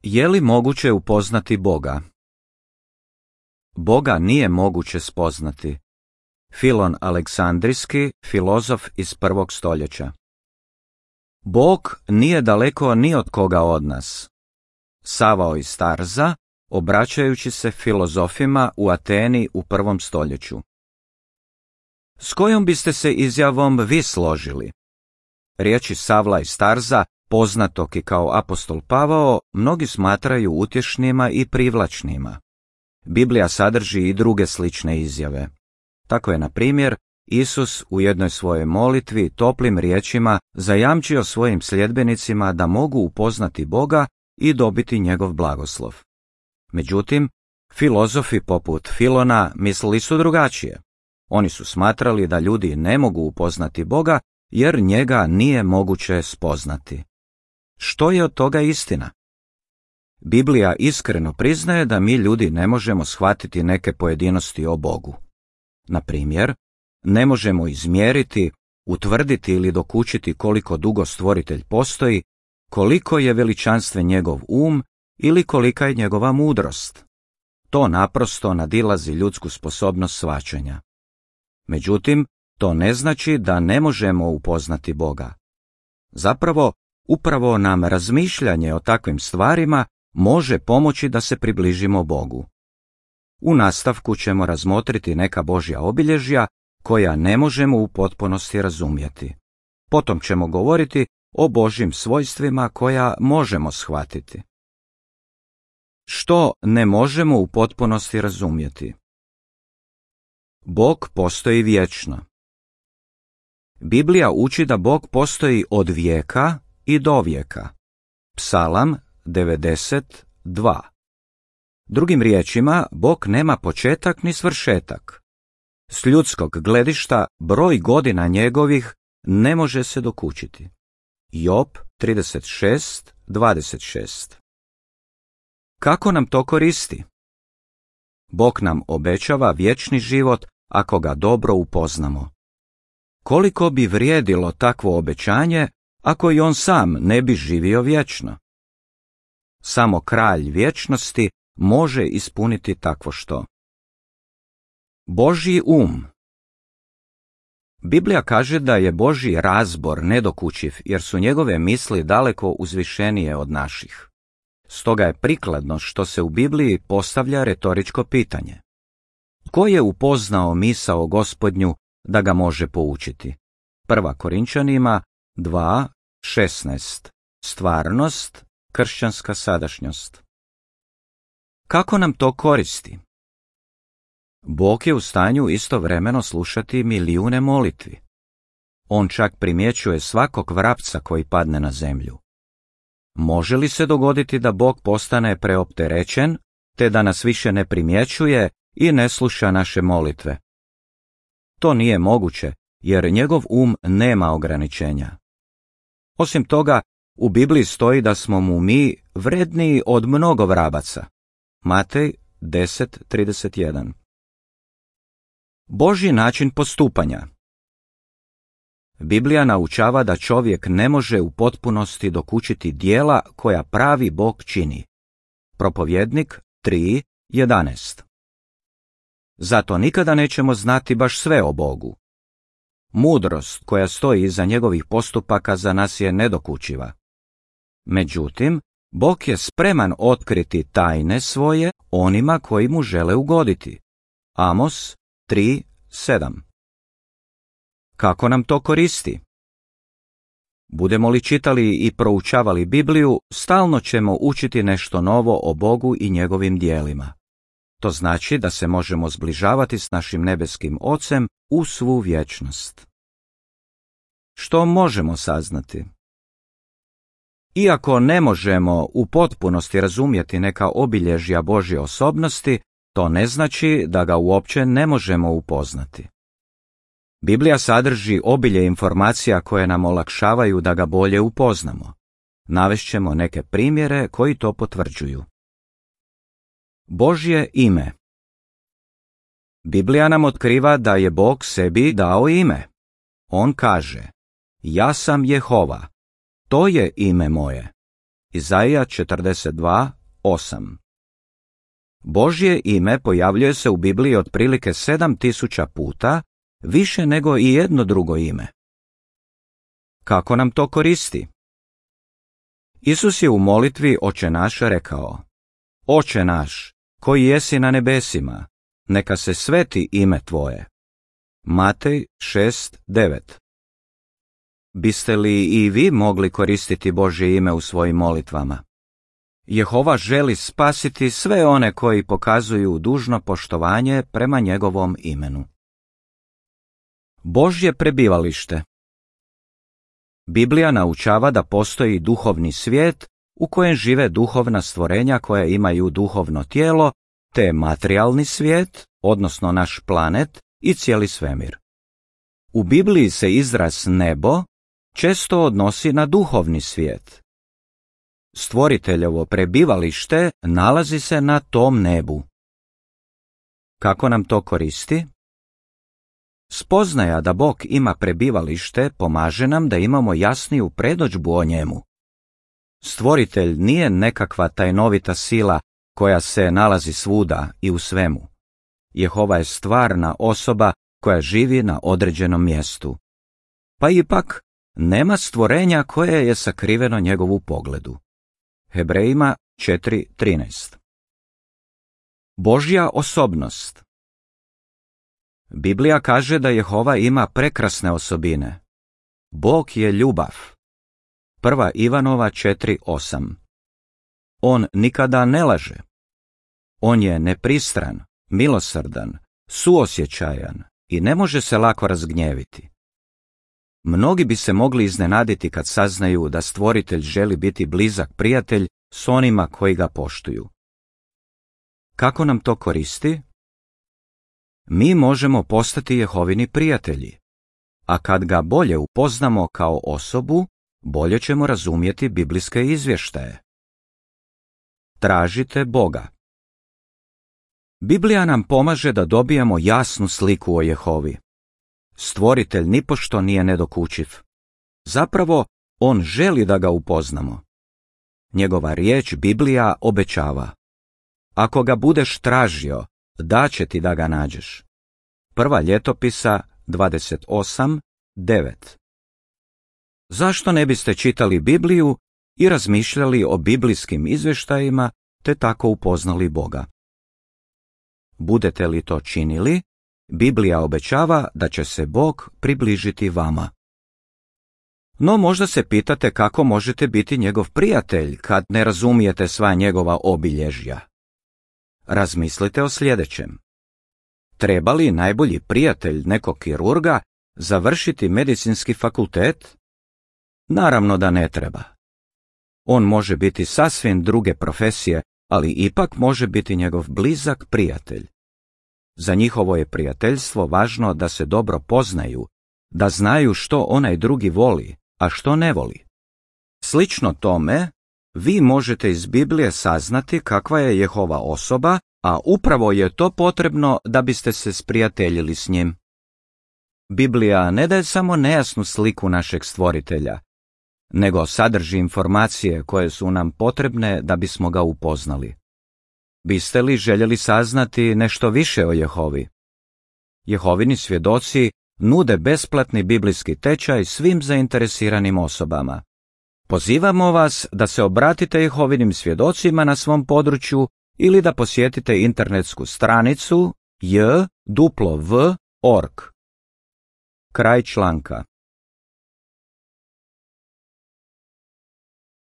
Je li moguće upoznati Boga? Boga nije moguće spoznati. Filon Aleksandrijski, filozof iz 1. stoljeća. Bog nije daleko ni od koga od nas. Savao iz Tarza, obraćajući se filozofima u Ateni u 1. stoljeću. S kojom biste se izjavom vi složili? Riječi Savla iz Tarza, poznatog i kao apostol Pavao, mnogi smatraju utješnima i privlačnima. Biblija sadrži i druge slične izjave. Tako je, na primjer, Isus u jednoj svojoj molitvi toplim riječima zajamčio svojim sljedbenicima da mogu upoznati Boga i dobiti njegov blagoslov. Međutim, filozofi poput Filona mislili su drugačije. Oni su smatrali da ljudi ne mogu upoznati Boga jer njega nije moguće spoznati. Što je od toga istina? Biblija iskreno priznaje da mi ljudi ne možemo shvatiti neke pojedinosti o Bogu. Na primjer, ne možemo izmjeriti, utvrditi ili dokučiti koliko dugo stvoritelj postoji, koliko je veličanstven njegov ili kolika je njegova mudrost. To naprosto nadilazi ljudsku sposobnost shvaćanja. Međutim, to ne znači da ne možemo upoznati Boga. Zapravo, upravo nam razmišljanje o takvim stvarima može pomoći da se približimo Bogu. U nastavku ćemo razmotriti neka Božja obilježja koja ne možemo u potpunosti razumjeti. Potom ćemo govoriti o Božjim svojstvima koja možemo shvatiti. Što ne možemo u potpunosti razumjeti? Bog postoji vječno. Biblija uči da Bog postoji od vijeka i do vijeka. Psalam 92. Drugim riječima, Bog nema početak ni svršetak. S ljudskog gledišta broj godina njegovih ne može se dokučiti. Job 36:26. Kako nam to koristi? Bog nam obećava vječni život ako ga dobro upoznamo. Koliko bi vrijedilo takvo obećanje ako i on sam ne bi živio vječno? Samo kralj vječnosti može ispuniti takvo što. Božji Biblija kaže da je Božji razbor nedokučiv jer su njegove misli daleko uzvišenije od naših. Stoga je prikladno što se u Bibliji postavlja retoričko pitanje. Tko je upoznao misao Gospodnju da ga može poučiti? 1. Korinčanima 2:16. Stvarnost, kršćanska sadašnjost. Kako nam to koristi? Bog je u stanju istovremeno slušati milijune molitvi. On čak primjećuje svakog vrapca koji padne na zemlju. Može li se dogoditi da Bog postane preopterećen, te da nas više ne primjećuje i ne sluša naše molitve? To nije moguće, jer njegov nema ograničenja. Osim toga, u Bibliji stoji da smo mu mi vredniji od mnogo vrabaca. Matej 10:31. Božji način postupanja. Biblija naučava da čovjek ne može u potpunosti dokučiti djela koja pravi Bog čini. Propovjednik 3:11. Zato nikada nećemo znati baš sve o Bogu. Mudrost koja stoji iza njegovih postupaka za nas je nedokučiva. Međutim, Bog je spreman otkriti tajne svoje onima koji mu žele ugoditi. Amos 3:7. Kako nam to koristi? Budemo li čitali i proučavali Bibliju, stalno ćemo učiti nešto novo o Bogu i njegovim djelima. To znači da se možemo zbližavati s našim nebeskim Ocem u svu vječnost. Što možemo saznati? Iako ne možemo u potpunosti razumjeti neka obilježja Božje osobnosti, to ne znači da ga uopće ne možemo upoznati. Biblija sadrži obilje informacija koje nam olakšavaju da ga bolje upoznamo. Navešćemo neke primjere koji to potvrđuju. Božje ime. Biblija nam otkriva da je Bog sebi dao ime. On kaže: Ja sam Jehova, to je ime moje. Izaija 42:8. Božje ime pojavljuje se u Bibliji otprilike 7000 puta, više nego i jedno drugo ime. Kako nam to koristi? Isus je u molitvi Oče naš rekao: Oče naš, koji jesi na nebesima, neka se sveti ime tvoje. Matej 6:9. Biste li i vi mogli koristiti Božje ime u svojim molitvama? Jehova želi spasiti sve one koji pokazuju dužno poštovanje prema njegovom imenu. Božje prebivalište. Biblija naučava da postoji duhovni svijet u kojem žive duhovna stvorenja koja imaju duhovno tijelo, te materijalni svijet, odnosno naš planet i cijeli svemir. U Bibliji se izraz nebo često odnosi na duhovni svijet. Stvoriteljevo prebivalište nalazi se na tom nebu. Kako nam to koristi? Spoznaja da Bog ima prebivalište pomaže nam da imamo jasniju predodžbu o njemu. Stvoritelj nije nekakva tajnovita sila koja se nalazi svuda i u svemu. Jehova je stvarna osoba koja živi na određenom mjestu. Pa ipak, nema stvorenja koje je sakriveno njegovu pogledu. Hebrejima 4:13. Božja osobnost. Biblija kaže da Jehova ima prekrasne osobine. Bog je ljubav. 1. Ivanova 4:8. On nikada ne laže. On je nepristran, milosrdan, suosjećajan i ne može se lako razgnjeviti. Mnogi bi se mogli iznenaditi kad saznaju da Stvoritelj želi biti blizak prijatelj s onima koji ga poštuju. Kako nam to koristi? Mi možemo postati Jehovini prijatelji, a kad ga bolje upoznamo kao osobu, bolje ćemo razumjeti biblijske izvještaje. Tražite Boga. Biblija nam pomaže da dobijemo jasnu sliku o Jehovi. Stvoritelj nipošto nije nedokučiv. Zapravo, on želi da ga upoznamo. Njegova riječ Biblija obećava: ako ga budeš tražio, daće ti da ga nađeš. 1. Ljetopisa 28:9. Zašto ne biste čitali Bibliju i razmišljali o biblijskim izvještajima te tako upoznali Boga? Budete li to činili, Biblija obećava da će se Bog približiti vama. No možda se pitate kako možete biti njegov prijatelj kad ne razumijete sva njegova obilježja. Razmislite o sljedećem. Treba li najbolji prijatelj nekog kirurga završiti medicinski fakultet? Naravno da ne treba. On može biti sasvim druge profesije, ali ipak može biti njegov blizak prijatelj. Za njihovo je prijateljstvo važno da se dobro poznaju, da znaju što onaj drugi voli, a što ne voli. Slično tome, vi možete iz Biblije saznati kakva je Jehova osoba, a upravo je to potrebno da biste se sprijateljili s njim. Biblija ne daje samo nejasnu sliku našeg stvoritelja, nego sadrži informacije koje su nam potrebne da bismo ga upoznali. Biste li željeli saznati nešto više o Jehovi? Jehovini svjedoci nude besplatni biblijski tečaj svim zainteresiranim osobama. Pozivamo vas da se obratite Jehovinim svjedocima na svom području ili da posjetite internetsku stranicu jw.org. Kraj članka.